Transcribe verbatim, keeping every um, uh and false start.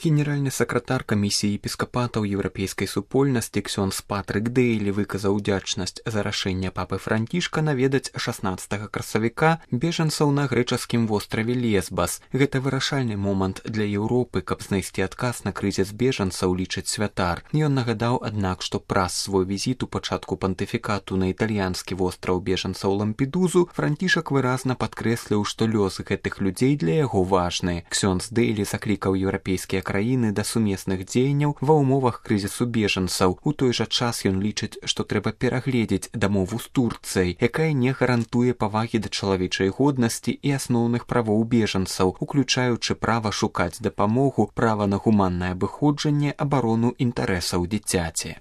Генеральны сакратар камісіі епіскапатаў еўрапейскай супольнасці ксёндз Патрык Дэйлі выказаў удзячнасць за рашэнне папы Францішка наведаць шаснаццатага красавіка бежанцаў на грэчаскім востраве Лесбас. Гэта вырашальны момант для Еўропы, каб знайсці адказ на крызіс бежанцаў, лічыць святар. Ён нагадаў, аднак, што праз свой візіт у пачатку пантыфікату на італьянскі востраў бежанцаў Лампедузу Францішак выразна падкрэсліў, што лёс гэтых людзей для яго важны. Ксёндз Дэйлі заклікаў еўрапейскія краіны да сумесных дзеянняў ва ўмовах крызісу бежанцаў. У той жа час ён лічыць, што трэба перагледзець дамову з Турцыяй, якая не гарантуе павагі да чалавечай годнасці і асноўных правоў бежанцаў, уключаючы права шукаць дапамогу, права на гуманнае абыходжанне, абарону інтарэсаў дзіцяці.